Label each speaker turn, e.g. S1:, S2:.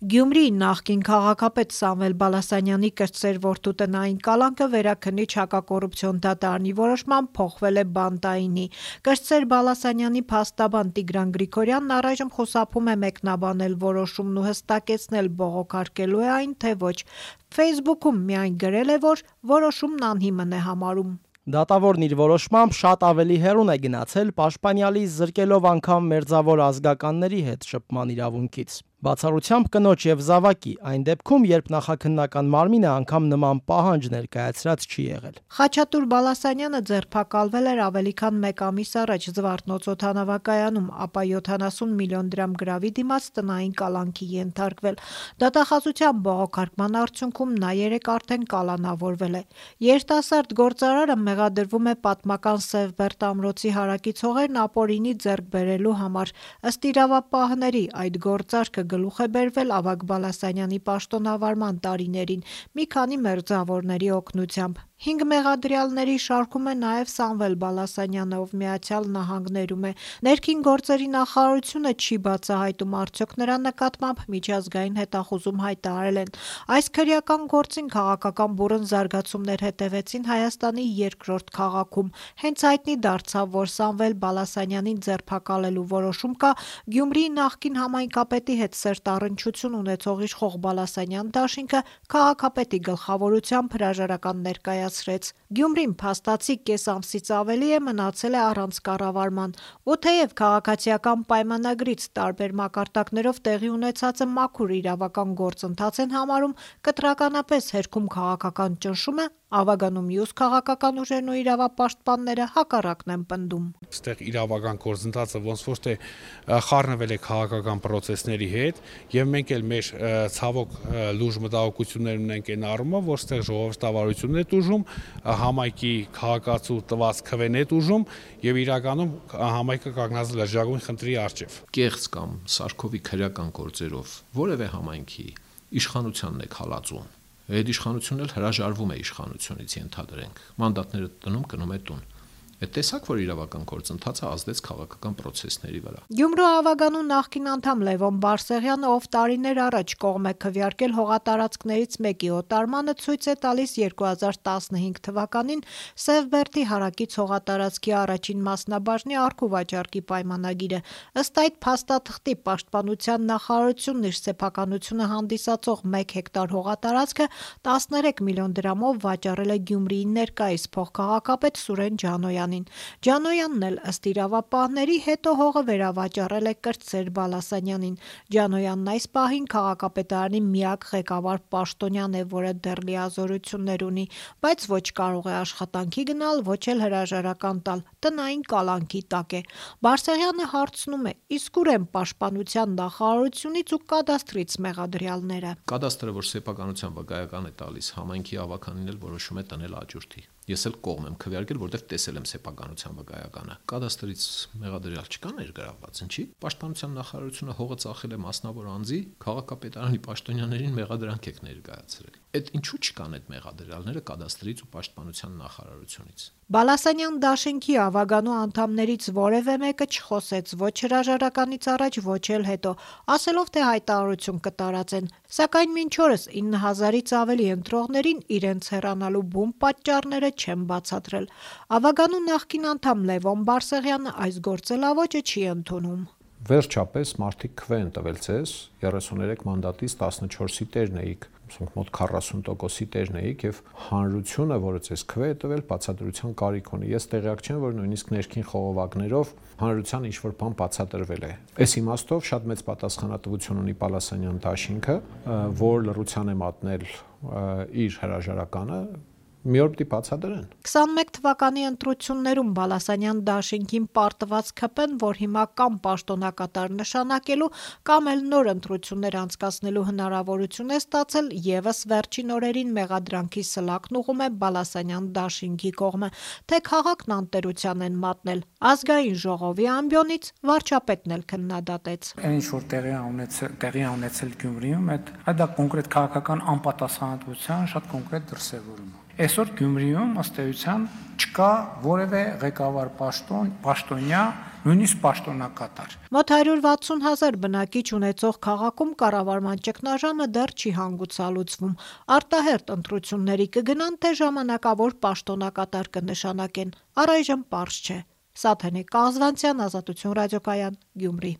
S1: Գյումրիի նախկին քաղաքապետ Սամվել Բալասանյանի կրտսեր որդու տնային կալանքը Վերաքննիչ հակակոռուպցիոն դատարանի որոշմամբ փոխվել է բանտայինի։ Կրտսեր Բալասանյանի փաստաբան Տիգրան Գրիգորյանն առայժմ խուսափում է մեկնաբանել որոշումն ու հստակեցնել բողոքարկելու է այն, թե ոչ։ Facebook-ում միայն գրել է, որ որոշումն անհիմն է համարում։
S2: Դատավորն իր որոշմամբ շատ ավելի հեռուն է գնացել պաշտպանյալից զրկելով անգամ մերձավոր ազգականների հետ շփման իրավունքից։ Բացառությամբ կնոջ եւ զավակի, այն դեպքում, երբ նախաքննական մարմինը անգամ նման պահանջ ներկայացրած չի եղել։
S1: Խաչատուր Բալասանյանը ձերբակալվել էր ավելի քան 1 ամիս առաջ Զվարթնոց օդանավակայանում, ապա 70 միլիոն դրամ գրավի դիմաց տնային կալանքի ենթարկվել։ Դատախազության բողոքարկման արդյունքում նա երեկ արդեն կալանավորվել է։ Երիտասարդ գործարարը մեղադրվում է պատմական Սևբերտ ամրոցի հարակից հողերն ապօրինի ձեռք բերելու համար։ Ըստ իրավապահների այդ գործարքը գլուխ է բերվել Ավագ Բալասանյանի պաշտոնավարման տարիներին մի քանի մերձավորների օգնությամբ։ 5 մեղադրյալների շարքում է նաև Սամվել Բալասանյանը, ով Միացյալ Նահանգներում է։ Ներքին գործերի նախարարությունը չի բացահայտում արդյոք նրա նկատմամբ միջազգային հետախուզում հայտարարել են։ Այս քրեական գործին քաղաքական բուռն զարգացումներ հետևեցին Հայաստանի երկրորդ քաղաքում։ Հենց հայտնի դարձավ, որ Սամվել Բալասանյանին ձերբակալելու որոշում կա Գյումրիի նախկին համայնքապետի հետ սերտ առնչություն ունեցող իշխող Բալասանյան դաշինքը քաղաքապետի գլխավորությամբ հրաժարական ներկայացրեց։ Գյումրին փաստացի կես ամսից ավելի է մնացել է առանց կառավարման, ու թեև քաղաքացիական պայմանագրից տարբեր մակարդակներով տեղի ունեցածը մաքուր իրավական գործընթաց են համարում, կտրականապես հերքում քաղաքական ճնշումը, Ավագանում մյուս քաղաքական ուժերն ու իրավապաշտպանները հակառակն են պնդում։
S3: Այստեղ իրավական գործընթացը ոնց որ թե խառնվել է քաղաքական process-ների հետ, եւ մենք էլ մեր ցավոք լուրջ մտահոգություններ ունենք այն առումով, որ այստեղ ժողովրդավարությունն է տուժում, համայնքի քաղաքացու տված քվեն է տուժում եւ իրականում համայնքը կանգնած է լրջագույն խնդրի առջեւ։
S4: Կեղծ կամ սարքովի քրեական գործերով որևէ համայնքի իշխանությանն է հալածում։ Այդ իշխանությունն էլ հրաժարվում է իշխանությունից, ենթադրենք։ Մանդատները տնում գնում է տուն։ Այդ տեսակ որ իրավական գործընթացը ազդեց քաղաքական process-ների վրա։
S1: Գյումրու Ավագանու նախկին անդամ Լևոն Բարսեղյանը, ով տարիներ առաջ կողմ է քվեարկել հողատարածքներից մեկի օտարմանը, ցույց է տալիս 2015 թվականին Սևբերտի հարակից հողատարածքի առաջին մասնաբաժնի առքուվաճառքի պայմանագիրը։ Ըստ այդ փաստաթղթի պաշտպանության նախարարությունն իր սեփականությունը հանդիսացող 1 հեկտար հողատարածքը 13 միլիոն դրամով վաճառել է Գյումրիի ներկայիս փոխքաղաքապետ Սուրեն Ջանոյանին։ Ջանոյանն էլ ըստ իրավապահների հետո հողը վերավաճառել է Կրտսեր Բալասանյանին։ Ջանոյանն այս պահին քաղաքապետարանի միակ ղեկավար պաշտոնյան է, որը դեռ լիազորություններ ունի, բայց ոչ կարող է աշխատանքի գնալ, ոչ էլ հրաժարական տալ, տնային կալանքի տակ է։ Բարսեղյանը հարցնում է. իսկ ուր են պաշտպանության նախարարությունից ու կադաստրից մեղադրյալները։
S4: Կադաստրը, որ սեփականության վկայական է տալիս, համայնքի ավականին էլ որոշում է տնել աճուրդի։ Ես էլ կողմ եմ քվեարկել, որտեղ տեսել եմ սեփականության վկայականը։ Կադաստրից մեղադրյալ չկա ներգրավված, ինչի՞։ Պաշտպանության նախարարությունը հողը ծախել է մասնավոր անձի, քաղաքապետարանի պաշտոնյաներին մեղադրանք եք ներկայացրել։ Այդ ինչու չկան այդ մեղադրյալները կադաստրից ու պաշտպանության նախարարությունից։
S1: Բալասանյան դաշինքի Ավագանու անդամներից որևէ մեկը չխոսեց ոչ հրաժարականից առաջ, ոչ էլ հետո, ասելով թե հայտարարություն կտարածեն, սակայն մինչ օրս 9000-ից ավելի ընտրողներին իրենց հեռանալու բուն պատճառները չեն բացատրել։ Ավագանու նախկին անդամ Լևոն Բարսեղյանը այս գործելավոճը չի ընդունում։
S5: Վերջապես մարդիկ քվեն տվել ցես 33 մանդատից 14-ի տերն էիք, մոտ 40%-ի տերն էիք եւ հանրությունը, որը ցես քվե է տվել, բացատրության կարիք ունի։ Ես տեղյակ չեմ, որ նույնիսկ ներքին խողովակներով հանրության ինչ-որ բան բացատրվել է։ Այս իմաստով շատ մեծ պատասխանատվություն ունի Բալասանյան դաշինքը, որ լռության է մատնել իր հրաժարականը, մի օր պիտի բացատրեն։
S1: 21 թվականի ընտրություններում Բալասանյան դաշինքին պարտված ՔՊ-ն, որ հիմա կամ պաշտոնակատար նշանակելու, կամ էլ նոր ընտրություններ անցկացնելու հնարավորություն է ստացել, եւս վերջին օրերին մեղադրանքի սլակն ուղում է Բալասանյան դաշինքի կողմը, թե քաղաքն անտերության են մատնել։ Ազգային ժողովի ամբիոնից վարչապետն էլ քննադատեց։
S6: Ինչ որ տեղի ունեցել Գյումրիում, այդ դա կոնկրետ քաղաքական անպատասխանատվության շատ կոնկրետ դրսևորում է։ Այսօր Գյումրիում ըստ էության չկա որևէ ղեկավար պաշտոնյա, նույնիսկ պաշտոնակատար։
S1: Մոտ 160,000 բնակիչ ունեցող քաղաքում կառավարման ճգնաժամը դեռ չի հանգուցալուծվում։ Արտահերթ ընտրությունների կգնան, թե ժամանակավոր պաշտոնակատար կնշանակեն։ Առայժմ պարզ չէ։ Սաթենիկ Կազվանցյան, Ազատություն ռադիոկայան, Գյումրի։